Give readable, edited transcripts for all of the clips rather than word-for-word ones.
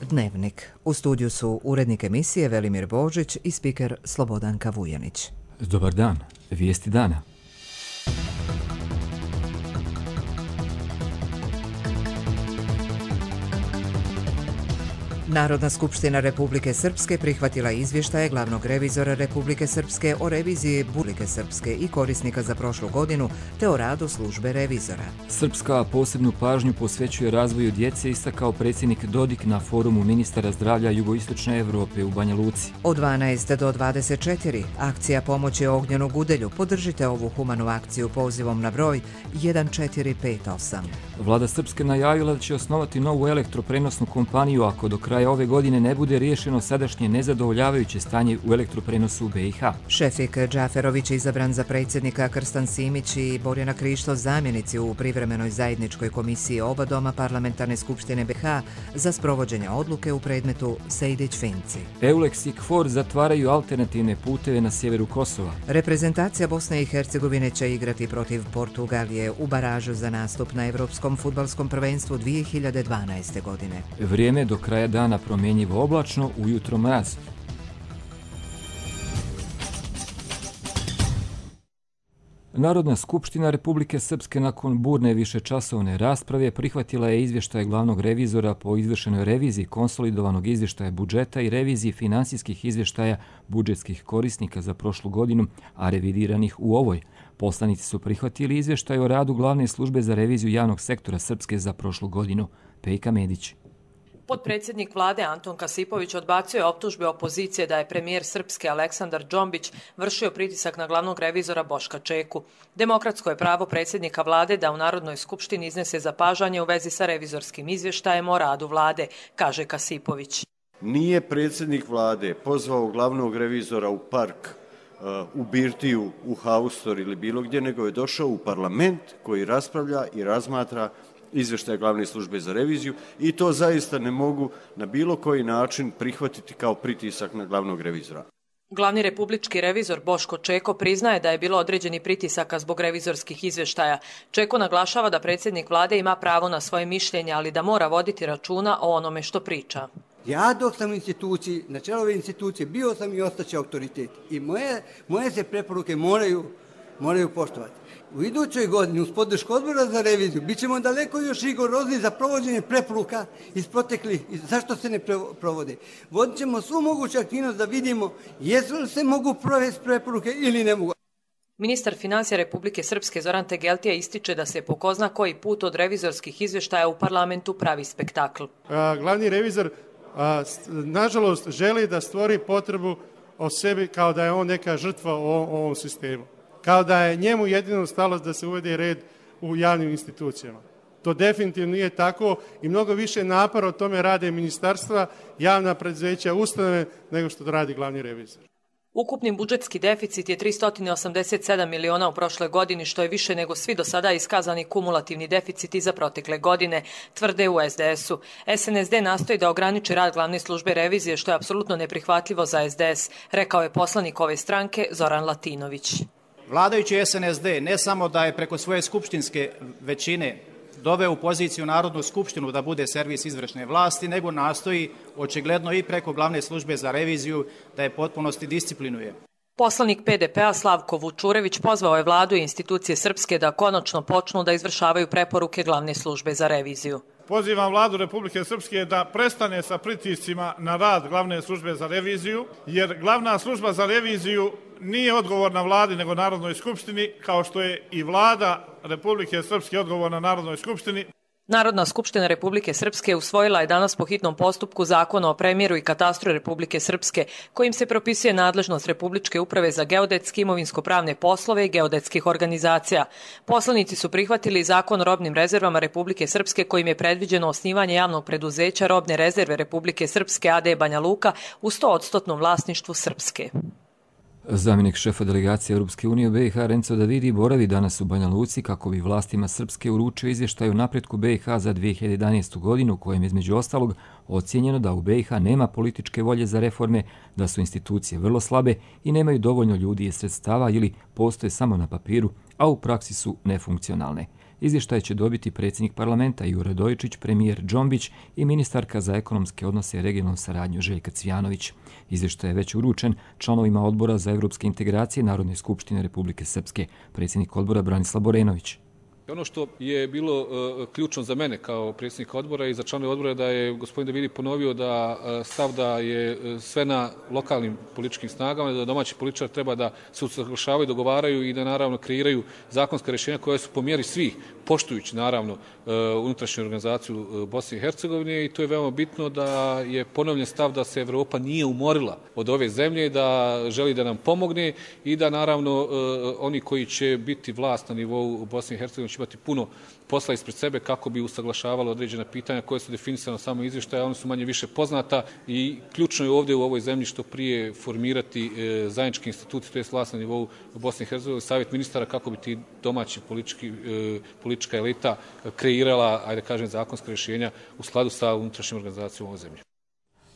Dnevnik. U studiju su urednik emisije Velimir Božić i spiker Slobodanka Vujanić. Dobar dan. Vijesti dana. Narodna skupština Republike Srpske prihvatila izvještaje glavnog revizora Republike Srpske o reviziji Republike Srpske i korisnika za prošlu godinu te o radu službe revizora. Srpska posebnu pažnju posvećuje razvoju djece, istakao predsjednik Dodik na forumu ministara zdravlja Jugoistočne Evrope u Banja Luci. Od 12 do 24 akcija pomoći Ognjenu Gudelju. Podržite ovu humanu akciju pozivom na broj 1458. Vlada Srpske najavila da će osnovati novu elektroprenosnu kompaniju ako do kraja ove godine ne bude riješeno sadašnje nezadovoljavajuće stanje u elektroprenosu u BiH. Šefik Džaferović izabran za predsjednika, Krstan Simić i Borjana Krišto zamjenici u privremenoj zajedničkoj komisiji oba doma Parlamentarne skupštine BiH za sprovođenje odluke u predmetu Sejdić-Finci. EULEX i KFOR zatvaraju alternativne puteve na sjeveru Kosova. Reprezentacija Bosne i Hercegovine će igrati protiv Portugalije u baražu za nastup na Evropskom fudbalskom prvenstvu 2012. godine. Vrijeme do kraja dana promjenjivo oblačno, ujutro mraz. Narodna skupština Republike Srpske nakon burne višečasovne rasprave prihvatila je izvještaj glavnog revizora po izvršenoj reviziji konsolidovanog izvještaja budžeta i reviziji finansijskih izvještaja budžetskih korisnika za prošlu godinu, a revidiranih u ovoj. Poslanici su prihvatili izvještaj o radu glavne službe za reviziju javnog sektora Srpske za prošlu godinu. Pejka Medić. Potpredsjednik vlade Anton Kasipović odbacio je optužbe opozicije da je premijer Srpske Aleksandar Džombić vršio pritisak na glavnog revizora Boška Čeku. Demokratsko je pravo predsjednika vlade da u Narodnoj skupštini iznese zapažanje u vezi sa revizorskim izvještajem o radu vlade, kaže Kasipović. Nije predsjednik vlade pozvao glavnog revizora u park, u birtiju, u haustor ili bilo gdje, nego je došao u parlament koji raspravlja i razmatra izvještaj glavne službe za reviziju i to zaista ne mogu na bilo koji način prihvatiti kao pritisak na glavnog revizora. Glavni republički revizor Boško Čeko priznaje da je bilo određeni pritisaka zbog revizorskih izvještaja. Čeko naglašava da predsjednik vlade ima pravo na svoje mišljenje, ali da mora voditi računa o onome što priča. Ja dok sam u instituciji, na čelu ove institucije, bio sam i ostaće autoritet. I moje se preporuke moraju poštovati. U idućoj godini uz podršku odbora za reviziju bit ćemo daleko još rigorozni za provođenje preporuka iz proteklih. Zašto se ne provode? Vodit ćemo svu moguću aktivnost da vidimo jesu li se mogu provesti preporuke ili ne mogu. Ministar financija Republike Srpske Zoran Tegeltija ističe da se po ko zna koji put od revizorskih izvještaja u parlamentu pravi spektakl. Glavni revizor nažalost želi da stvori potrebu o sebi kao da je on neka žrtva u ovom sistemu. Kao da je njemu jedino stalo da se uvede red u javnim institucijama. To definitivno nije tako i mnogo više napora o tome rade ministarstva, javna preduzeća, ustanove nego što to radi glavni revizor. Ukupni budžetski deficit je 387 miliona u prošloj godini, što je više nego svi do sada iskazani kumulativni deficiti za protekle godine, tvrde u SDS-u. SNSD nastoji da ograniči rad glavne službe revizije, što je apsolutno neprihvatljivo za SDS, rekao je poslanik ove stranke Zoran Latinović. Vladajući SNSD ne samo da je preko svoje skupštinske većine doveo u poziciju Narodnu skupštinu da bude servis izvršne vlasti, nego nastoji očigledno i preko glavne službe za reviziju da je potpunosti disciplinuje. Poslanik PDP-a Slavko Vučurević pozvao je vladu i institucije Srpske da konačno počnu da izvršavaju preporuke glavne službe za reviziju. Pozivam vladu Republike Srpske da prestane sa pritiscima na rad glavne službe za reviziju, jer glavna služba za reviziju nije odgovorna vladi nego Narodnoj skupštini, kao što je i vlada Republike Srpske odgovorna Narodnoj skupštini. Narodna skupština Republike Srpske usvojila je danas po hitnom postupku Zakon o premjeru i katastru Republike Srpske, kojim se propisuje nadležnost Republičke uprave za geodetske, imovinsko-pravne poslove i geodetskih organizacija. Poslanici su prihvatili Zakon o robnim rezervama Republike Srpske, kojim je predviđeno osnivanje javnog preduzeća Robne rezerve Republike Srpske AD Banja Luka u 100% vlasništvu Srpske. Zamjenik šefa delegacije Europske unije u BiH Renzo Davidi boravi danas u Banja Luci kako bi vlastima Srpske uručio izvještaj o napretku BiH za 2011. godinu, u kojem je između ostalog ocijenjeno da u BiH nema političke volje za reforme, da su institucije vrlo slabe i nemaju dovoljno ljudi i sredstava ili postoje samo na papiru, a u praksi su nefunkcionalne. izvještaj će dobiti predsjednik parlamenta Jure Radojičić, premijer Džombić i ministarka za ekonomske odnose i regionalnu saradnju Željka Cvijanović. Izvještaj je već uručen članovima odbora za evropske integracije Narodne skupštine Republike Srpske, predsjednik odbora Branislav Borenović. Ono što je bilo ključno za mene kao predsjednika odbora i za članove odbora da je gospodin Davidi ponovio da stav da je sve na lokalnim političkim snagama, da domaći političari treba da se usaglašavaju, dogovaraju i da naravno kreiraju zakonska rješenja koja su po mjeri svih, poštujući naravno unutrašnju organizaciju Bosne i Hercegovine, i to je veoma bitno da je ponovljen stav da se Evropa nije umorila od ove zemlje, da želi da nam pomogne i da naravno oni koji će biti vlast na nivou Bosne i Hercegovine će imati puno posla ispred sebe kako bi usaglašavalo određena pitanja koje su definisane na samom izvještaju, one su manje više poznata i ključno je ovdje u ovoj zemlji što prije formirati zajedničke institucije, to je vlast na nivou Bosne i Hercegovine, savjet ministara kako bi ti domaći politička elita kreirala, ajde kažem, zakonska rješenja u skladu sa unutrašnjom organizacijom ove zemlje.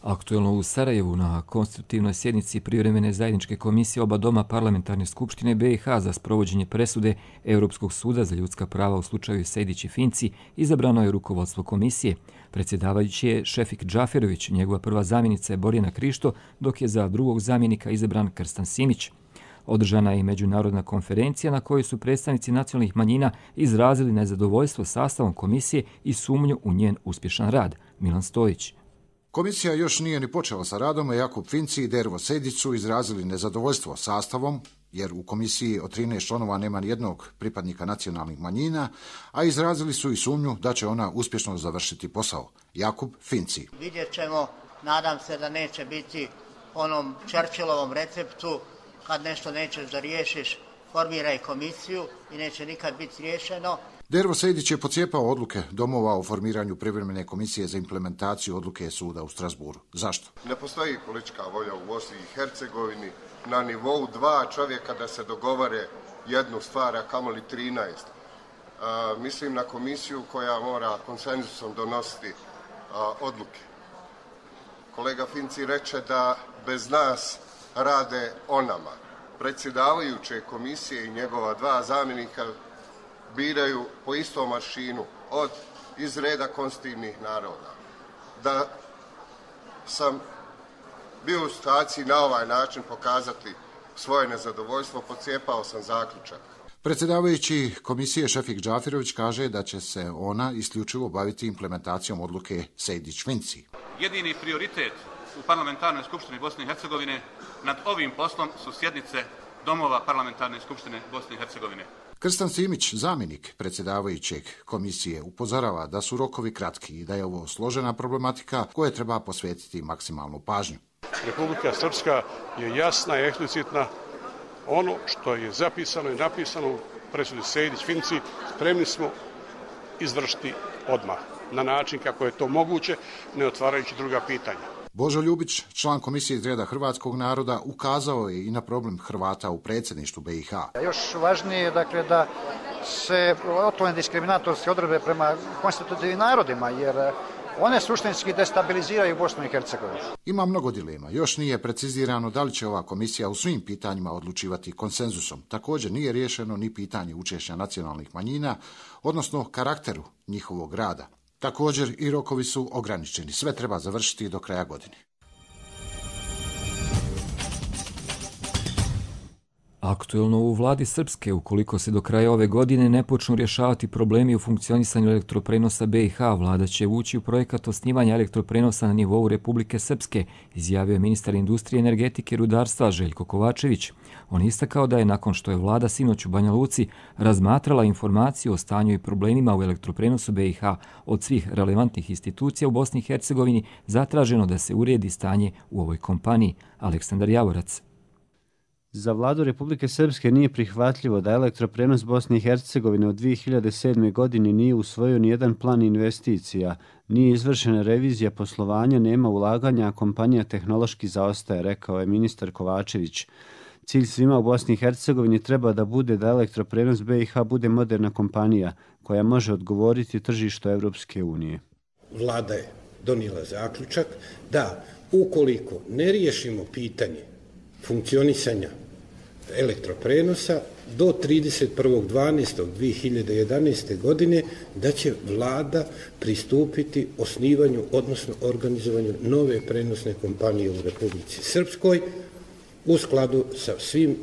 Aktuelno u Sarajevu na konstitutivnoj sjednici privremene zajedničke komisije oba doma parlamentarne skupštine BiH za sprovođenje presude Europskog suda za ljudska prava u slučaju Sejdić i Finci izabrano je rukovodstvo komisije. Predsjedavajući je Šefik Džaferović, njegova prva zamjenica je Borjana Krišto, dok je za drugog zamjenika izabran Krstan Simić. Održana je i međunarodna konferencija na kojoj su predstavnici nacionalnih manjina izrazili nezadovoljstvo sastavom komisije i sumnju u njen uspješan rad. Milan Stojić. Komisija još nije ni počela sa radom, a Jakub Finci i Dervo Sejdić su izrazili nezadovoljstvo sastavom, jer u komisiji od 13 članova nema nijednog pripadnika nacionalnih manjina, a izrazili su i sumnju da će ona uspješno završiti posao. Jakub Finci. Vidjet ćemo, nadam se da neće biti onom Churchillovom receptu, kad nešto nećeš da riješiš, formiraj komisiju i neće nikad biti riješeno. Dervo Sejdić je pocijepao odluke domova o formiranju privremene komisije za implementaciju odluke suda u Strasburu. Zašto? Ne postoji politička volja u Bosni i Hercegovini na nivou 2 čovjeka da se dogovore jednu stvar, a kamoli 13. Mislim na komisiju koja mora konsenzusom donositi odluke. Kolega Finci reče da bez nas rade o nama. Predsjedavajuće komisije i njegova 2 zamjenika biraju po istom aršinu iz reda konstitutivnih naroda. Da sam bio u situaciji na ovaj način pokazati svoje nezadovoljstvo, pocijepao sam zaključak. Predsjedavajući komisije Šefik Džaferović kaže da će se ona isključivo baviti implementacijom odluke Sejdić-Finci. Jedini prioritet u parlamentarnoj skupštini Bosne i Hercegovine nad ovim poslom su sjednice domova parlamentarne skupštine Bosne i Hercegovine. Krstan Simić, zamjenik predsjedavajućeg komisije, upozorava da su rokovi kratki i da je ovo složena problematika koje treba posvetiti maksimalnu pažnju. Republika Srpska je jasna i eksplicitna. Ono što je zapisano i napisano u presudi Sejdić-Finci spremni smo izvršiti odmah, na način kako je to moguće, ne otvarajući druga pitanja. Božo Ljubić, član komisije iz reda hrvatskog naroda, ukazao je i na problem Hrvata u predsjedništvu BiH. Još važnije je da se otklone diskriminatorske odredbe prema konstitutivnim narodima, jer one suštinski destabiliziraju Bosnu i Hercegovinu. Ima mnogo dilema. Još nije precizirano da li će ova komisija u svim pitanjima odlučivati konsenzusom. Također nije riješeno ni pitanje učešća nacionalnih manjina, odnosno karakteru njihovog rada. Također i rokovi su ograničeni. Sve treba završiti do kraja godine. Aktuelno u vladi Srpske, ukoliko se do kraja ove godine ne počnu rješavati problemi u funkcionisanju elektroprenosa BiH, vlada će ući u projekat osnivanja elektroprenosa na nivou Republike Srpske, izjavio je ministar industrije, energetike i rudarstva Željko Kovačević. On istakao da je nakon što je vlada sinoć u Banja Luci razmatrala informaciju o stanju i problemima u elektroprenosu BiH od svih relevantnih institucija u Bosni i Hercegovini, zatraženo da se uredi stanje u ovoj kompaniji. Aleksandar Javorac. Za vladu Republike Srpske nije prihvatljivo da elektroprenos Bosne i Hercegovine od 2007. godine nije usvojio nijedan plan investicija, nije izvršena revizija poslovanja, nema ulaganja, a kompanija tehnološki zaostaje, rekao je ministar Kovačević. Cilj svima u Bosni i Hercegovini treba da bude da elektroprenos BiH bude moderna kompanija koja može odgovoriti tržištu Evropske unije. Vlada je donijela zaključak da ukoliko ne riješimo pitanje funkcionisanja elektroprenosa, do 31.12.2011. godine da će vlada pristupiti osnivanju, odnosno organizovanju nove prenosne kompanije u Republici Srpskoj u skladu sa svim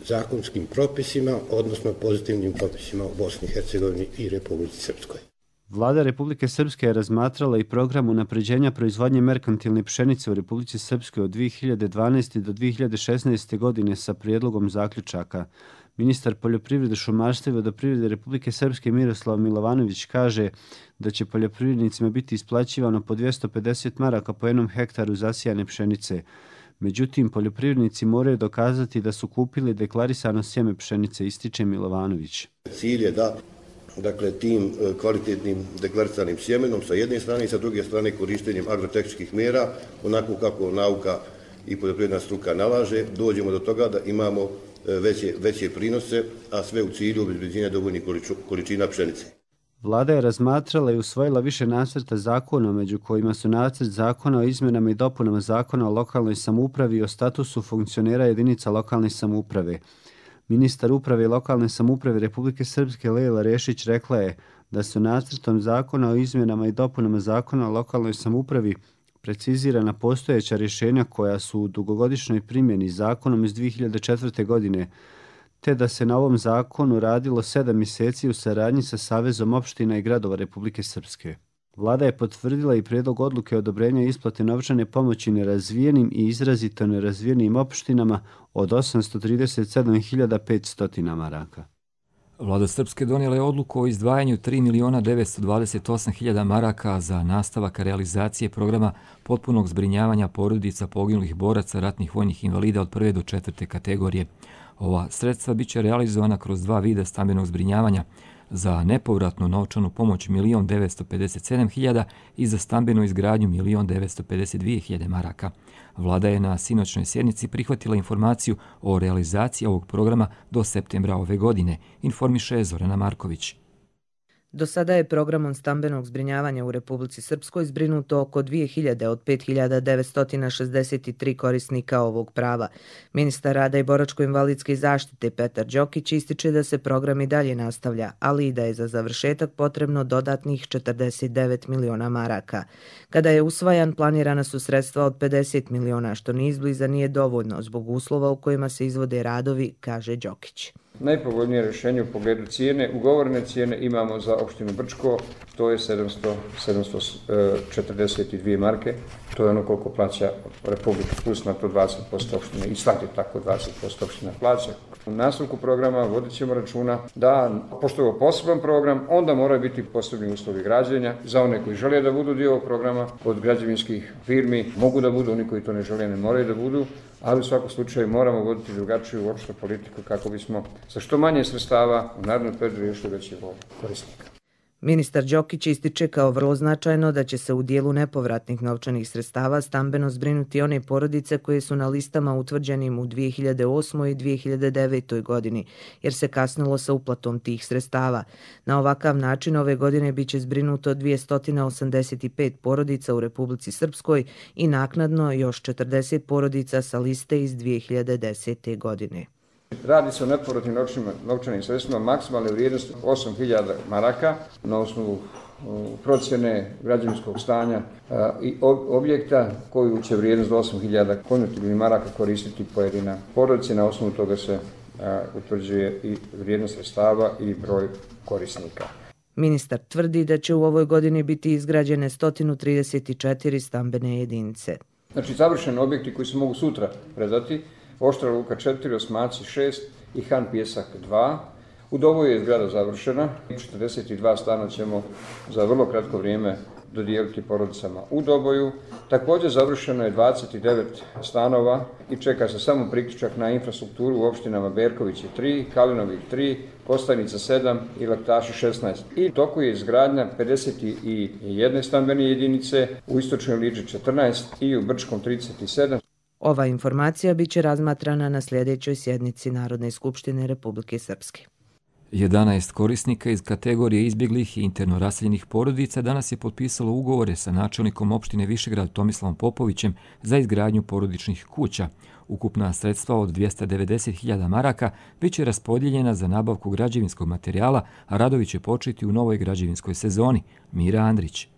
zakonskim propisima, odnosno pozitivnim propisima u Bosni i Hercegovini i Republici Srpskoj. Vlada Republike Srpske je razmatrala i program unapređenja proizvodnje merkantilne pšenice u Republici Srpskoj od 2012. do 2016. godine sa prijedlogom zaključaka. Ministar poljoprivrede, šumarstva i vodoprivrede Republike Srpske Miroslav Milovanović kaže da će poljoprivrednicima biti isplaćivano po 250 maraka po jednom hektaru zasijane pšenice. Međutim, poljoprivrednici moraju dokazati da su kupili deklarisano sjeme pšenice, ističe Milovanović. Cilj je da tim kvalitetnim deklariranim sjemenom sa jedne strane i sa druge strane korištenjem agrotehničkih mjera, onako kako nauka i poljoprivredna struka nalaže, dođemo do toga da imamo veće prinose, a sve u cilju obezbeđenja dovoljnih količina pšenice. Vlada je razmatrala i usvojila više nacrta zakona, među kojima su nacrt zakona o izmjenama i dopunama zakona o lokalnoj samoupravi i o statusu funkcionera jedinica lokalne samouprave. Ministar uprave i lokalne samouprave Republike Srpske Lejla Rešić rekla je da su nacrtom zakona o izmjenama i dopunama zakona o lokalnoj samoupravi precizirana postojeća rješenja koja su u dugogodišnjoj primjeni zakonom iz 2004. godine, te da se na ovom zakonu radilo 7 mjeseci u saradnji sa Savezom opština i gradova Republike Srpske. Vlada je potvrdila i prijedlog odluke odobrenja isplate novčane pomoći nerazvijenim i izrazito nerazvijenim opštinama od 837.500 maraka. Vlada Srpske donijela je odluku o izdvajanju 3.928.000 maraka za nastavak realizacije programa potpunog zbrinjavanja porodica poginulih boraca ratnih vojnih invalida od 1. do 4. kategorije. Ova sredstva biće realizovana kroz 2 vida stambenog zbrinjavanja, za nepovratnu novčanu pomoć 1.957.000 i za stambenu izgradnju 1.952.000 maraka. Vlada je na sinoćnoj sjednici prihvatila informaciju o realizaciji ovog programa do septembra ove godine, informiše Zorana Marković. Do sada je programom stambenog zbrinjavanja u Republici Srpskoj zbrinuto oko 2000 od 5.963 korisnika ovog prava. Ministar rada i boračko-invalidske zaštite Petar Đokić ističe da se program i dalje nastavlja, ali i da je za završetak potrebno dodatnih 49 miliona maraka. Kada je usvajan, planirana su sredstva od 50 miliona, što ni izbliza nije dovoljno zbog uslova u kojima se izvode radovi, kaže Đokić. Najpovoljnije rješenje u pogledu cijene, ugovorene cijene imamo za opštinu Brčko, to je 742 marke, to je ono koliko plaća Republika, plus na to 20% opštine i svaki tako 20% opština plaća. U nastavku programa vodit ćemo računa da, pošto je ovo poseban program, onda moraju biti posebni uslovi građenja za one koji žele da budu dio ovog programa, od građevinskih firmi mogu da budu, oni koji to ne žele ne moraju da budu, ali u svakom slučaju moramo voditi drugačiju uopšte politiku kako bismo sa što manje sredstava u narednom periodu riješili veći broj korisnika. Ministar Đokić ističe kao vrlo značajno da će se u dijelu nepovratnih novčanih sredstava stambeno zbrinuti one porodice koje su na listama utvrđenim u 2008. i 2009. godini, jer se kasnilo sa uplatom tih sredstava. Na ovakav način ove godine biće zbrinuto 285 porodica u Republici Srpskoj i naknadno još 40 porodica sa liste iz 2010. godine. Radi se o nepovratnim novčanim sredstvima maksimalne vrijednosti 8.000 maraka na osnovu procjene građevinskog stanja i objekta koju će vrijednost do 8.000 konvertibilnih maraka koristiti pojedina porodica. Na osnovu toga se utvrđuje i vrijednost sredstava i broj korisnika. Ministar tvrdi da će u ovoj godini biti izgrađene 134 stambene jedinice. Znači, završeni objekti koji se mogu sutra predati: Oštra Luka 4, Osmaci 6 i Han Pjesak 2. U Doboju je zgrada završena. 42 stana ćemo za vrlo kratko vrijeme dodijeliti porodicama u Doboju. Također završeno je 29 stanova i čeka se samo priključak na infrastrukturu u opštinama Berkovići 3, Kalinovih 3, Kostajnica 7 i Laktaši 16. I toku je izgradnja 51 stambene jedinice, u Istočnoj Liđi 14 i u Brčkom 37. Ova informacija biće razmatrana na sljedećoj sjednici Narodne skupštine Republike Srpske. 11 korisnika iz kategorije izbjeglih i interno raseljenih porodica danas je potpisalo ugovore sa načelnikom opštine Višegrad Tomislavom Popovićem za izgradnju porodičnih kuća. Ukupna sredstva od 290.000 maraka bit će raspodijeljena za nabavku građevinskog materijala, a radovi će početi u novoj građevinskoj sezoni. Mira Andrić.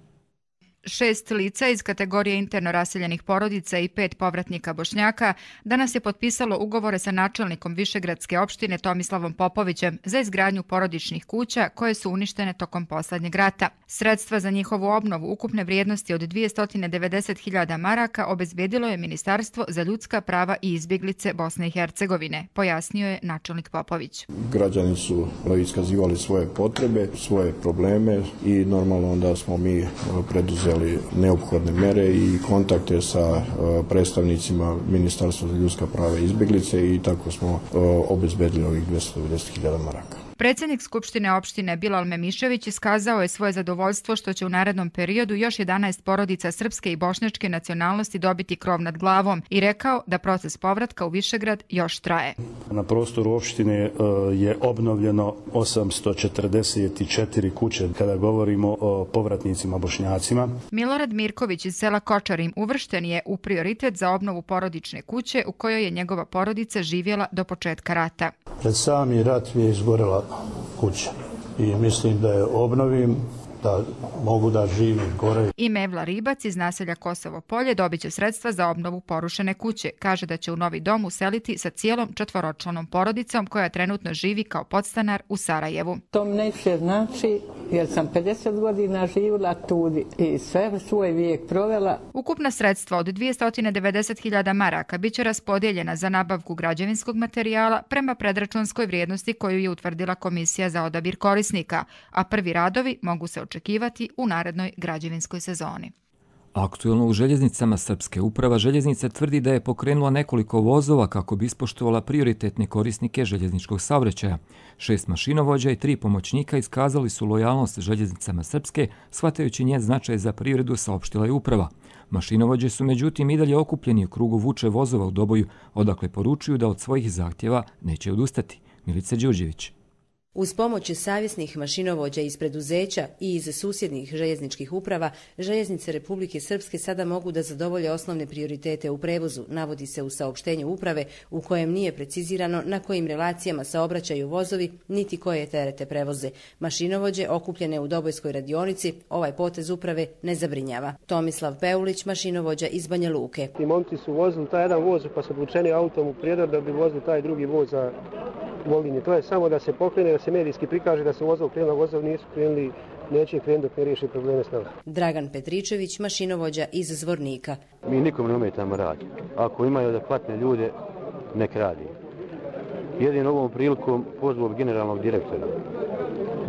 6 lica iz kategorije interno raseljenih porodica i 5 povratnika Bošnjaka danas je potpisalo ugovore sa načelnikom Višegradske opštine Tomislavom Popovićem za izgradnju porodičnih kuća koje su uništene tokom poslednjeg rata. Sredstva za njihovu obnovu ukupne vrijednosti od 290.000 maraka obezbedilo je Ministarstvo za ljudska prava i izbjeglice Bosne i Hercegovine, pojasnio je načelnik Popović. Građani su iskazivali svoje potrebe, svoje probleme i normalno onda smo mi preduzeli neophodne mere i kontakte sa predstavnicima Ministarstva za ljudska prava i izbjeglice i tako smo obezbedili ovih 290.000 maraka. Predsjednik Skupštine opštine Bilal Memišević iskazao je svoje zadovoljstvo što će u narednom periodu još 11 porodica srpske i bošnjačke nacionalnosti dobiti krov nad glavom i rekao da proces povratka u Višegrad još traje. Na prostoru opštine je obnovljeno 844 kuće kada govorimo o povratnicima Bošnjacima. Milorad Mirković iz sela Kočarim uvršten je u prioritet za obnovu porodične kuće u kojoj je njegova porodica živjela do početka rata. Pred sami rat je izgorela kuća i mislim da je obnovim, da mogu da živim gore. I Mevla Ribac iz naselja Kosovo Polje dobit će sredstva za obnovu porušene kuće. Kaže da će u novi dom useliti sa cijelom 4-članom porodicom koja trenutno živi kao podstanar u Sarajevu. To mi neće znači jer sam 50 godina živjela tudi i sve svoj vijek provela. Ukupna sredstva od 290.000 maraka bit će raspodijeljena za nabavku građevinskog materijala prema predračunskoj vrijednosti koju je utvrdila Komisija za odabir korisnika, a prvi radovi mogu se očekivati u narednoj građevinskoj sezoni. Aktuelno u željeznicama Srpske uprava željeznica tvrdi da je pokrenula nekoliko vozova kako bi ispoštovala prioritetne korisnike željezničkog saobraćaja. 6 mašinovođa i 3 pomoćnika iskazali su lojalnost željeznicama Srpske, shvatajući njen značaj za privredu, saopštila je uprava. Mašinovođe su međutim i dalje okupljeni u krugu vuče vozova u Doboju, odakle poručuju da od svojih zahtjeva neće odustati. Milica Đurđević. Uz pomoć savjesnih mašinovođa iz preduzeća i iz susjednih željezničkih uprava, željeznice Republike Srpske sada mogu da zadovolje osnovne prioritete u prevozu, navodi se u saopštenju uprave u kojem nije precizirano na kojim relacijama saobraćaju vozovi niti koje terete prevoze. Mašinovođe okupljene u Dobojskoj radionici ovaj potez uprave ne zabrinjava. Tomislav Peulić, mašinovođa iz Banja Luke. I momci su vozili taj jedan voz pa su obučeni autom u Prijedor da bi vozili taj drugi voz za Volinje. To je samo da se pokrene, da se medijski prikaže da se vozov krenula, vozov nisu krenuli, neće krenuti dok ne riješi probleme s nama. Dragan Petričević, mašinovođa iz Zvornika. Mi nikom ne ometamo radi. Ako imaju adekvatne ljude, nek radi. Jedino ovom prilikom pozvao generalnog direktora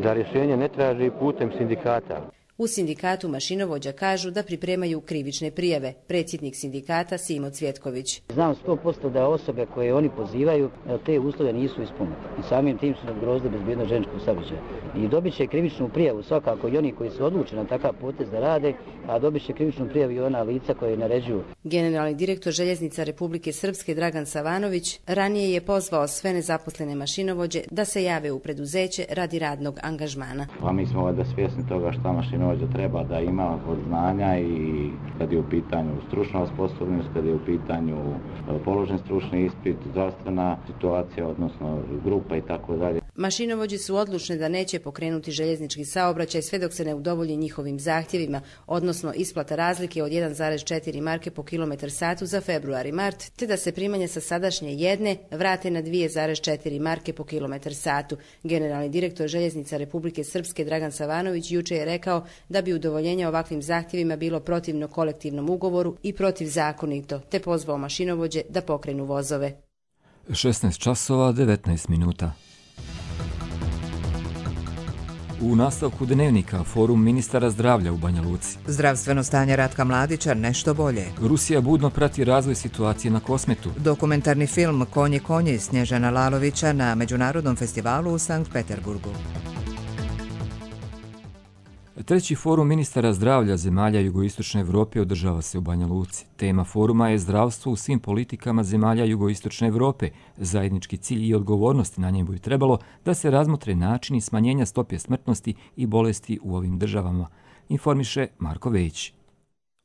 da rješenje ne traži putem sindikata. U sindikatu mašinovođa kažu da pripremaju krivične prijave. Predsjednik sindikata Simo Cvjetković. Znam 100% da osobe koje oni pozivaju te uslove nisu ispunili. I samim tim su ugrozili bezbjednost željezničkog saobraćaja. I dobit će krivičnu prijavu svakako i oni koji su odlučeni na takav potez da rade, a dobit će krivičnu prijavu i ona lica koje naređuju. Generalni direktor željeznica Republike Srpske Dragan Savanović ranije je pozvao sve nezaposlene mašinovođe da se jave u preduzeće radi radnog angažmana. Pa mi smo da svjesni toga šta mašinovođa treba da ima od znanja i kad je u pitanju stručna osposobljenost, kad je u pitanju položen stručni ispit, zdravstvena situacija, odnosno grupa i tako dalje. Mašinovođe su odlučne da neće pokrenuti željeznički saobraćaj sve dok se ne udovolji njihovim zahtjevima, odnosno isplata razlike od 1,4 marke po kilometar satu za februar i mart, te da se primanja sa sadašnje 1 vrate na 2,4 marke po kilometar satu. Generalni direktor željeznica Republike Srpske Dragan Savanović juče je rekao da bi udovoljenje ovakvim zahtjevima bilo protivno kolektivnom ugovoru i protivzakonito, te pozvao mašinovođe da pokrenu vozove. 16 časova 19 minuta. U nastavku dnevnika forum ministara zdravlja u Banja Luci. Zdravstveno stanje Ratka Mladića nešto bolje. Rusija budno prati razvoj situacije na Kosmetu. Dokumentarni film Konji konji Snježana Lalovića na Međunarodnom festivalu u Sankt Peterburgu. Treći forum ministara zdravlja zemalja jugoistočne Evrope održava se u Banja Luci. Tema foruma je zdravstvo u svim politikama zemalja jugoistočne Evrope. Zajednički cilj i odgovornost na njemu bi trebalo da se razmotre načini smanjenja stope smrtnosti i bolesti u ovim državama, informiše Marko Vejić.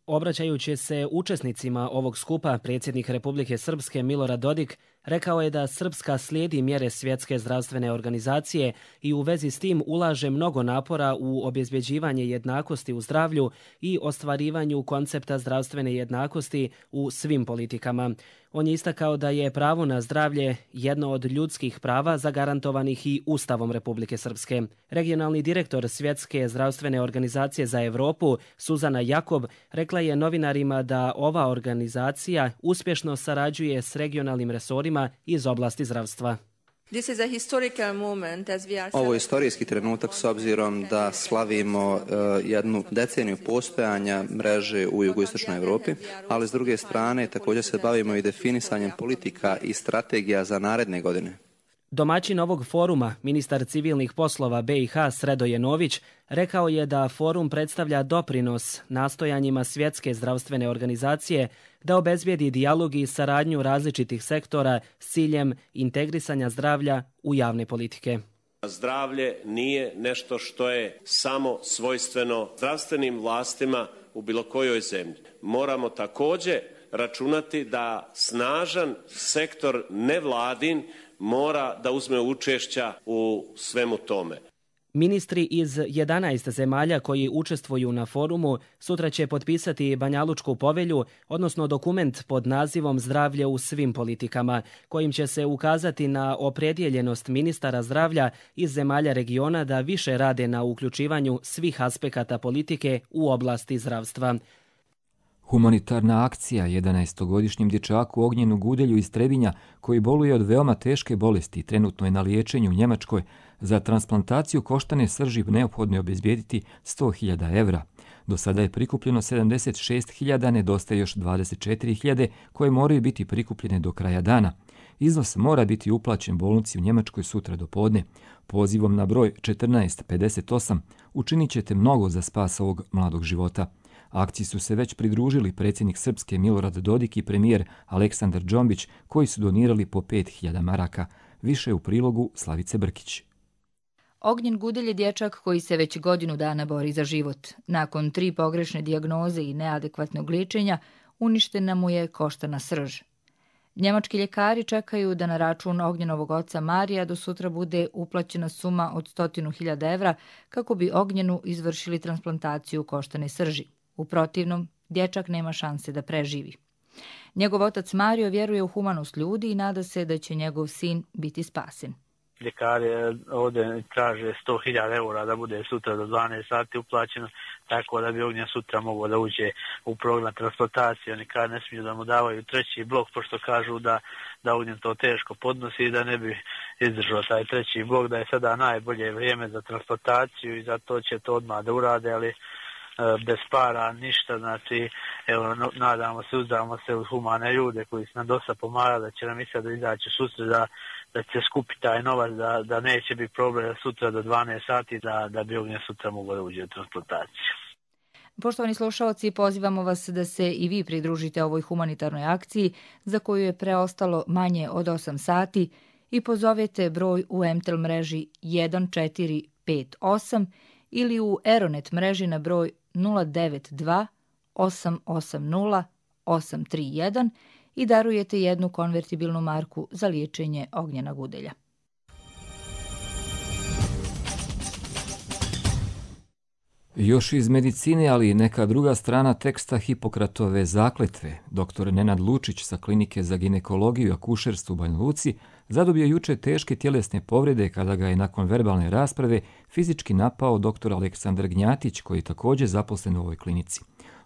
Obraćajući se učesnicima ovog skupa, predsjednik Republike Srpske Milorad Dodik rekao je da Srpska slijedi mjere Svjetske zdravstvene organizacije i u vezi s tim ulaže mnogo napora u obezbjeđivanje jednakosti u zdravlju i ostvarivanju koncepta zdravstvene jednakosti u svim politikama. On je istakao da je pravo na zdravlje jedno od ljudskih prava zagarantovanih i Ustavom Republike Srpske. Regionalni direktor Svjetske zdravstvene organizacije za Evropu, Suzana Jakob, rekla je novinarima da ova organizacija uspješno sarađuje s regionalnim resorima iz oblasti zdravstva. Ovo je historijski trenutak s obzirom da slavimo jednu deceniju postojanja mreže u jugoistočnoj Evropi, ali s druge strane također se bavimo i definisanjem politika i strategija za naredne godine. Domaćin ovog foruma, ministar civilnih poslova BiH Sredoje Nović, rekao je da forum predstavlja doprinos nastojanjima Svjetske zdravstvene organizacije da obezbijedi dijalog i saradnju različitih sektora s ciljem integrisanja zdravlja u javne politike. Zdravlje nije nešto što je samo svojstveno zdravstvenim vlastima u bilo kojoj zemlji. Moramo također računati da snažan sektor nevladin mora da uzme učešća u svemu tome. Ministri iz 11 zemalja koji učestvuju na forumu sutra će potpisati Banjalučku povelju, odnosno dokument pod nazivom Zdravlje u svim politikama, kojim će se ukazati na opredjeljenost ministara zdravlja iz zemalja regiona da više rade na uključivanju svih aspekata politike u oblasti zdravstva. Humanitarna akcija 11-godišnjem dječaku Ognjenu Gudelju iz Trebinja, koji boluje od veoma teške bolesti, trenutno je na liječenju u Njemačkoj. Za transplantaciju koštane srži neophodno je obezbijediti 100.000 evra. Do sada je prikupljeno 76.000, nedostaje još 24.000 koje moraju biti prikupljene do kraja dana. Iznos mora biti uplaćen bolnici u Njemačkoj sutra do podne. Pozivom na broj 1458 učinit ćete mnogo za spas ovog mladog života. Akciji su se već pridružili predsjednik Srpske Milorad Dodik i premijer Aleksandar Džombić, koji su donirali po 5.000 maraka. Više u prilogu Slavice Brkić. Ognjen Gudelj je dječak koji se već godinu dana bori za život. Nakon 3 pogrešne dijagnoze i neadekvatnog liječenja, uništena mu je koštana srž. Njemački ljekari čekaju da na račun Ognjenovog oca Marija do sutra bude uplaćena suma od 100.000 evra kako bi Ognjenu izvršili transplantaciju koštane srži. U protivnom, dječak nema šanse da preživi. Njegov otac Mario vjeruje u humanost ljudi i nada se da će njegov sin biti spasen. Ljekari ovdje traže 100.000 eura da bude sutra do 12 sati uplaćeno, tako da bi Ognjen sutra mogao da uđe u program transplantacije. Oni kad ne smiju da mu davaju treći blok, pošto kažu da Ognjen to teško podnosi i da ne bi izdržao taj treći blok, da je sada najbolje vrijeme za transplantaciju i zato će to odmah da urade, ali bez para ništa, znači evo nadamo se, uzdamo se u humane ljude koji su nam dosta pomagali da će nam i sad izaći sutra da će skupiti taj novac, da neće biti problem sutra do 12 sati da bi Ognjen sutra mogao da uđe u transplantaciju. Poštovani slušalci, pozivamo vas da se i vi pridružite ovoj humanitarnoj akciji za koju je preostalo manje od 8 sati i pozovete broj u MTEL mreži 1458 ili u Eronet mreži na broj 092 880 831 i darujete jednu konvertibilnu marku za liječenje Ognjena Gudelja. Još iz medicine, ali i neka druga strana teksta Hipokratove zakletve. Dr. Nenad Lučić sa klinike za ginekologiju i akušerstvo u Banja Luci zadobio juče teške tjelesne povrede kada ga je nakon verbalne rasprave fizički napao dr. Aleksandar Gnjatić, koji je također zaposlen u ovoj klinici.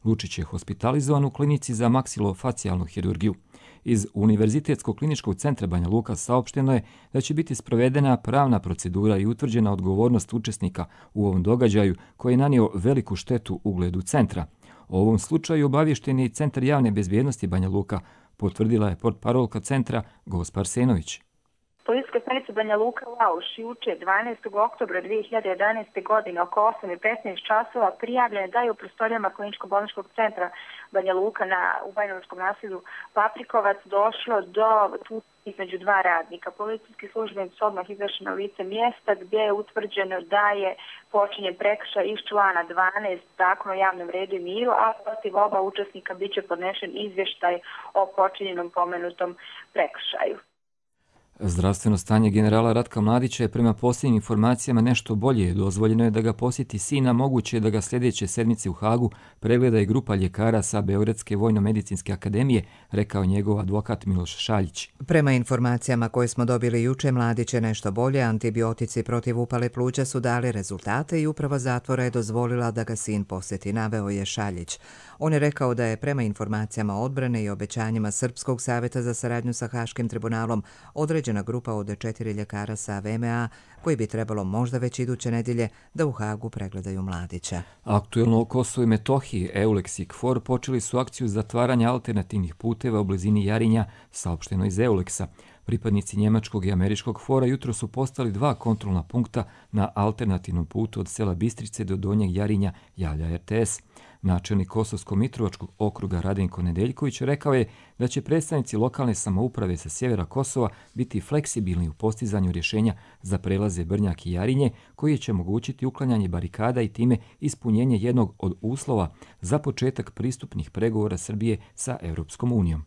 Lučić je hospitalizovan u klinici za maksilofacijalnu hirurgiju. Iz Univerzitetskog kliničkog centra Banja Luka saopšteno je da će biti sprovedena pravna procedura i utvrđena odgovornost učesnika u ovom događaju koji je nanio veliku štetu ugledu centra. O ovom slučaju obavješten je i Centar javne bezbjednosti Banja Luka, potvrdila je portparolka centra Gospa Arsenović. Policijska stanica se Banja Luka Lauš juče 12. oktobra 2011. godine oko 8:15 časova prijavljene da je u prostorijama kliničko-bolničkog centra Banja Luka u Bajanovačkom naselju Paprikovac došlo do između dva radnika. Policijski službenici su odmah izašli na lice mjesta gdje je utvrđeno da je počinjen prekršaj iz člana 12 Zakona o javnom redu i miru, a protiv oba učesnika bit će podnešen izvještaj o počinjenom pomenutom prekršaju. Zdravstveno stanje generala Ratka Mladića je prema posljednjim informacijama nešto bolje. Dozvoljeno je da ga posjeti sina, moguće je da ga sljedeće sedmice u Hagu pregleda i grupa ljekara sa Beogradske vojno-medicinske akademije, rekao njegov advokat Miloš Šaljić. Prema informacijama koje smo dobili juče, Mladić je nešto bolje, antibiotici protiv upale pluća su dali rezultate i uprava zatvora je dozvolila da ga sin posjeti, naveo je Šaljić. On je rekao da je prema informacijama odbrane i obećanjima Srpskog savjeta za saradnju sa Haškim tribunalom određena grupa od 4 ljekara sa VMA koji bi trebalo možda već iduće nedjelje da u Hagu pregledaju Mladića. Aktuelno o Kosovu i Metohiji, EULEX i KFOR počeli su akciju zatvaranja alternativnih puteva u blizini Jarinja, saopšteno iz EULEX-a. Pripadnici njemačkog i američkog KFOR-a jutro su postali 2 kontrolna punkta na alternativnom putu od sela Bistrice do Donjeg Jarinja, javlja RTS. Načelnik Kosovsko-Mitrovačkog okruga Radenko Nedeljković rekao je da će predstavnici lokalne samouprave sa sjevera Kosova biti fleksibilni u postizanju rješenja za prelaze Brnjak i Jarinje, koji će omogućiti uklanjanje barikada i time ispunjenje jednog od uslova za početak pristupnih pregovora Srbije sa Europskom unijom.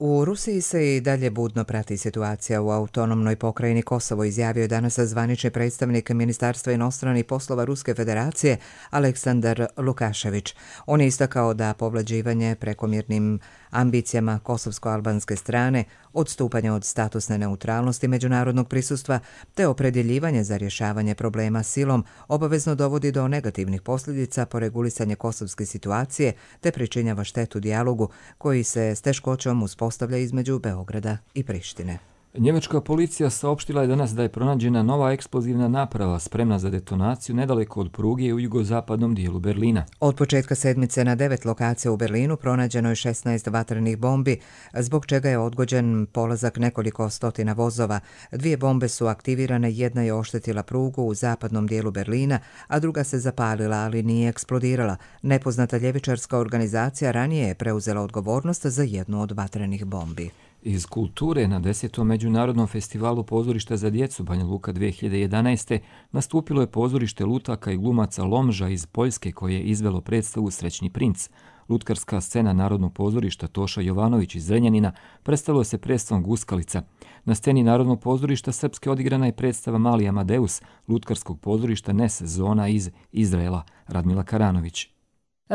U Rusiji se i dalje budno prati situacija u autonomnoj pokrajini Kosovo, izjavio je danas zvanični predstavnik Ministarstva inostranih poslova Ruske federacije Aleksandar Lukašević. On je istakao da povlađivanje prekomjernim ambicijama kosovsko-albanske strane, odstupanje od statusne neutralnosti međunarodnog prisustva te opredjeljivanje za rješavanje problema silom obavezno dovodi do negativnih posljedica po regulisanje kosovske situacije te pričinjava štetu dijalogu koji se s teškoćom uspostavlja između Beograda i Prištine. Njemačka policija saopštila je danas da je pronađena nova eksplozivna naprava spremna za detonaciju nedaleko od pruge u jugozapadnom dijelu Berlina. Od početka sedmice na 9 lokacija u Berlinu pronađeno je 16 vatrenih bombi, zbog čega je odgođen polazak nekoliko stotina vozova. 2 bombe su aktivirane, jedna je oštetila prugu u zapadnom dijelu Berlina, a druga se zapalila, ali nije eksplodirala. Nepoznata ljevičarska organizacija ranije je preuzela odgovornost za jednu od vatrenih bombi. Iz kulture na 10. međunarodnom festivalu pozorišta za djecu Banja Luka 2011. nastupilo je pozorište lutaka i glumaca Lomža iz Poljske koje je izvelo predstavu Srećni princ. Lutkarska scena Narodnog pozorišta Toša Jovanović iz Zrenjanina predstavilo se predstavom Guskalica. Na sceni Narodnog pozorišta Srpske odigrana je predstava Mali Amadeus, lutkarskog pozorišta Nes Zona iz Izraela, Radmila Karanović.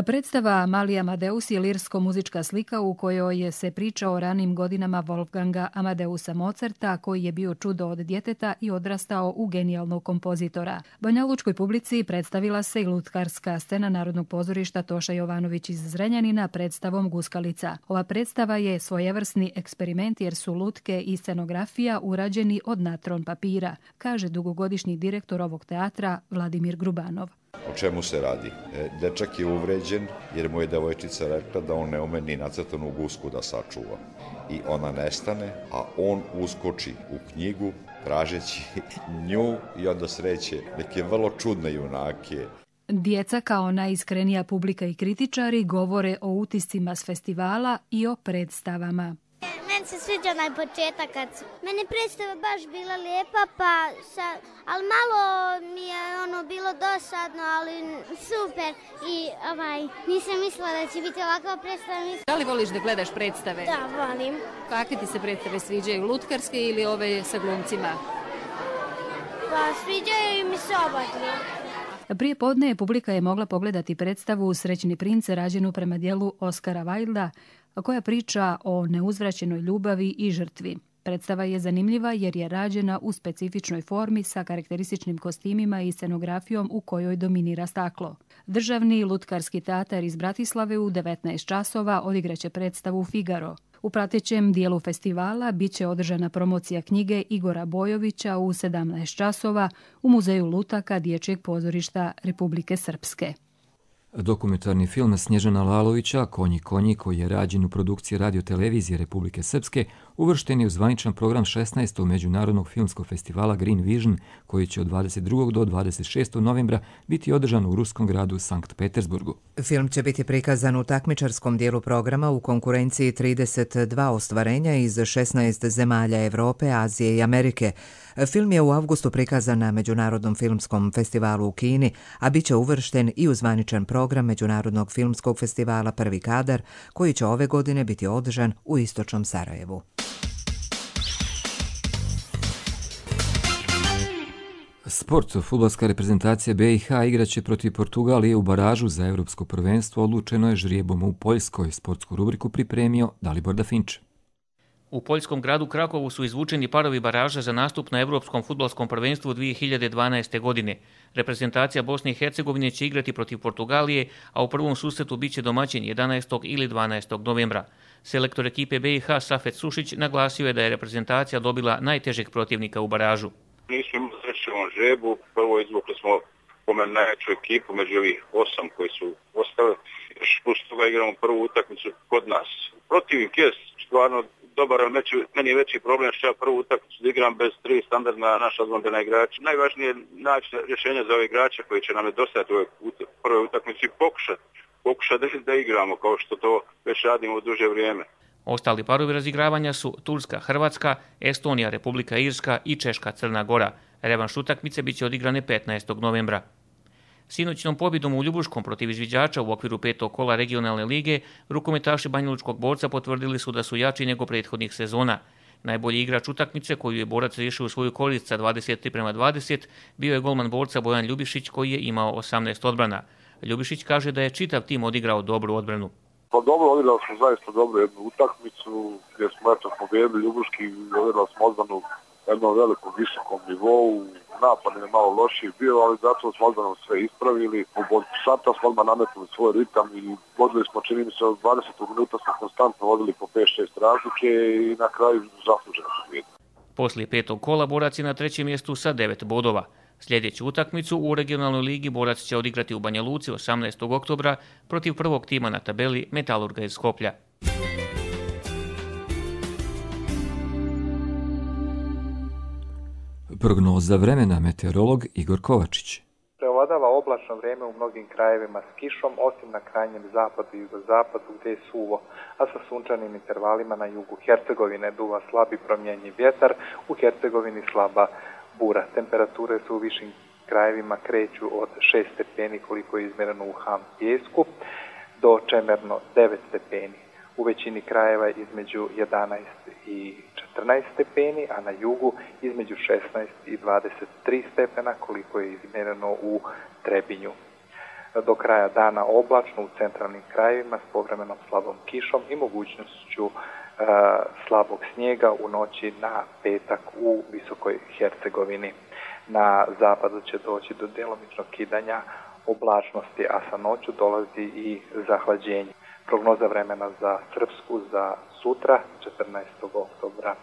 Predstava Mali Amadeus je lirsko-muzička slika u kojoj se priča o ranim godinama Wolfganga Amadeusa Mozarta, koji je bio čudo od djeteta i odrastao u genijalnog kompozitora. Banjalučkoj publici predstavila se i lutkarska scena Narodnog pozorišta Toša Jovanović iz Zrenjanina predstavom Guskalica. Ova predstava je svojevrsni eksperiment jer su lutke i scenografija urađeni od natron papira, kaže dugogodišnji direktor ovog teatra Vladimir Grubanov. O čemu se radi? Dečak je uvređen jer mu je devojčica rekla da on ne ume ni nacrtanu gusku da sačuva. I ona nestane, a on uskoči u knjigu tražeći nju i onda sreće neke vrlo čudne junake. Djeca kao najiskrenija publika i kritičari govore o utiscima s festivala i o predstavama. Meni se sviđa onaj početak kad meni predstava baš bila lijepa, ali malo mi je bilo dosadno, ali super i nisam mislila da će biti ovakva predstava. Da li voliš da gledaš predstave? Da, volim. Kakve ti se predstave sviđaju, lutkarske ili ove sa glumcima? Pa sviđaju mi se oba dvije. Prije podne publika je mogla pogledati predstavu Srećni princ rađenu prema dijelu Oskara Wilda, koja priča o neuzvraćenoj ljubavi i žrtvi. Predstava je zanimljiva jer je rađena u specifičnoj formi sa karakterističnim kostimima i scenografijom u kojoj dominira staklo. Državni lutkarski teatar iz Bratislave u 19 časova odigraće predstavu Figaro. U pratećem dijelu festivala biće održana promocija knjige Igora Bojovića u 17 časova u Muzeju lutaka Dječjeg pozorišta Republike Srpske. Dokumentarni film Snježana Lalovića Konji konji, koji je rađen u produkciji Radio-televizije Republike Srpske, uvršten je u zvaničan program 16. Međunarodnog filmskog festivala Green Vision, koji će od 22. do 26. novembra biti održan u ruskom gradu Sankt Petersburgu. Film će biti prikazan u takmičarskom dijelu programa u konkurenciji 32 ostvarenja iz 16 zemalja Evrope, Azije i Amerike. Film je u avgustu prikazan na Međunarodnom filmskom festivalu u Kini, a bit će uvršten i u zvaničan program Međunarodnog filmskog festivala Prvi kadar, koji će ove godine biti održan u istočnom Sarajevu. Sport. Fudbalska reprezentacija BiH igraće protiv Portugalije u baražu za Evropsko prvenstvo. Odlučeno je žrijebom u Poljskoj. Sportsku rubriku pripremio Dalibor Dafinč. U poljskom gradu Krakovu su izvučeni parovi baraža za nastup na Evropskom fudbalskom prvenstvu 2012. godine. Reprezentacija Bosne i Hercegovine će igrati protiv Portugalije, a u prvom susretu biće domaćin 11. ili 12. novembra. Selektor ekipe BiH Safet Sušić naglasio je da je reprezentacija dobila najtežeg protivnika u baražu. Nismo imali sreće u ovom žrebu, prvo izvukli smo po meni najjaču ekipu među ovih 8 koji su ostali. Još plus toga igramo prvu utakmicu kod nas. Protivnik je stvarno dobar, ali meni je veći problem što ja prvu utakmicu da igram bez 3 standardna naša odbrambena igrača. Najvažnije je naći rješenje za ove igrače koji će nam nedostajati u prvoj utakmici i pokušati da igramo kao što to već radimo u duže vrijeme. Ostali parovi razigravanja su Turska, Hrvatska, Estonija, Republika Irska i Češka, Crna Gora. Revanš utakmice biće odigrane 15. novembra. Sinoćnom pobjedom u Ljubuškom protiv izviđača u okviru 5. kola regionalne lige, rukometaši Banjalučkog Borca potvrdili su da su jači nego prethodnih sezona. Najbolji igrač utakmice koju je Borac riješio u svoju korist sa 23:20 bio je golman Borca Bojan Ljubišić koji je imao 18 odbrana. Ljubišić kaže da je čitav tim odigrao dobru odbranu. Pa dobro, odigrali smo zaista dobru jednu utakmicu gdje smo pobjedili Ljubuški, odigrali smo odbranu na jednom velikom, visokom nivou. Napad je malo lošiji bio, ali zato smo odbranom sve ispravili. Od sata smo odmah nametnuli svoj ritam i vodili smo, čini mi se, od 20 minuta smo konstantno vodili po 5-6 razlike i na kraju zasluženo pobjedu. Poslije 5. kola Borac je na 3. mjestu sa 9 bodova. Sljedeću utakmicu u regionalnoj ligi Borac će odigrati u Banja Luci 18. oktobra protiv prvog tima na tabeli Metalurga iz Skoplja. Prognoza vremena, meteorolog Igor Kovačić. Preovladava oblačno vrijeme u mnogim krajevima s kišom, osim na krajnjem zapadu i jugozapadu gdje je suvo, a sa sunčanim intervalima na jugu Hercegovine duva slabi promjenjiv vjetar, u Hercegovini slaba bura. Temperature su u višim krajevima kreću od 6 stepeni koliko je izmjereno u Ham Pijesku do čemerno 9 stepeni. U većini krajeva između 11 i 14 stepeni, a na jugu između 16 i 23 stepena koliko je izmjereno u Trebinju. Do kraja dana oblačno u centralnim krajevima s povremenom slabom kišom i mogućnošću slabog snijega u noći na petak u Visokoj Hercegovini. Na zapadu će doći do djelomičnog kidanja oblačnosti, a sa noću dolazi i zahlađenje. Prognoza vremena za Srpsku za sutra, 14. oktobra.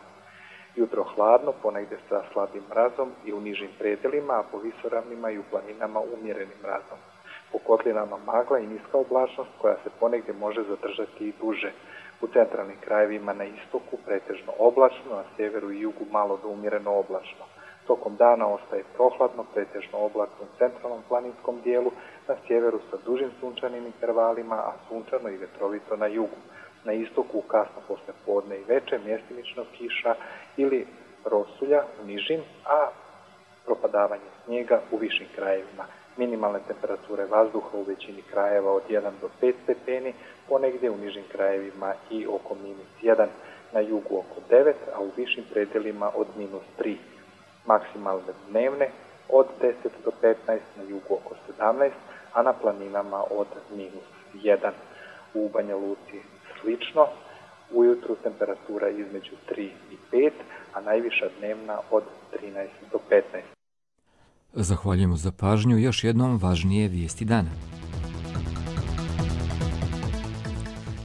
Jutro hladno, ponegdje sa slabim mrazom i u nižim predelima, a po visoravnima i u planinama umjerenim mrazom. Po kotlinama magla i niska oblačnost koja se ponegdje može zadržati i duže. U centralnim krajevima na istoku pretežno oblačno, na sjeveru i jugu malo do umjereno oblačno. Tokom dana ostaje prohladno, pretežno oblačno u centralnom planinskom dijelu, na sjeveru sa dužim sunčanim intervalima, a sunčano i vetrovito na jugu. Na istoku kasno posle podne i veče mjestimično kiša ili rosulja u nižim, a propadavanje snijega u višim krajevima. Minimalne temperature vazduha u većini krajeva od 1 do 5 stepeni, ponegdje u nižim krajevima i oko -1, na jugu oko 9, a u višim predelima od -3. Maksimalne dnevne od 10 do 15, na jugu oko 17, a na planinama od -1. U Banja Luci slično, ujutru temperatura između 3 i 5, a najviša dnevna od 13 do 15. Zahvaljujemo za pažnju. Još jednom važnije vijesti dana.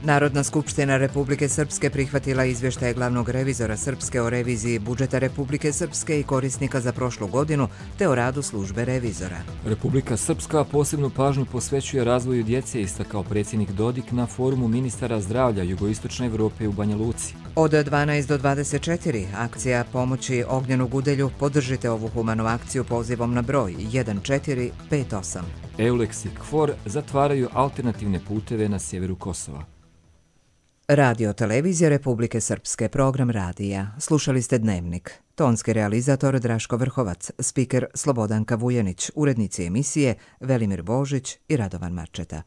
Narodna skupština Republike Srpske prihvatila izvještaje glavnog revizora Srpske o reviziji budžeta Republike Srpske i korisnika za prošlu godinu te o radu službe revizora. Republika Srpska posebnu pažnju posvećuje razvoju djece, istakao predsjednik Dodik na forumu ministara zdravlja Jugoistočne Evrope u Banja Luci. Od 12 do 24 akcija pomoći ognjenog udelju. Podržite ovu humanu akciju pozivom na broj 1458. Eulex i KFOR zatvaraju alternativne puteve na sjeveru Kosova. Radio televizija Republike Srpske, program radija. Slušali ste Dnevnik. Tonski realizator Draško Vrhovac, spiker Slobodanka Vujanić, urednici emisije Velimir Božić i Radovan Marčeta.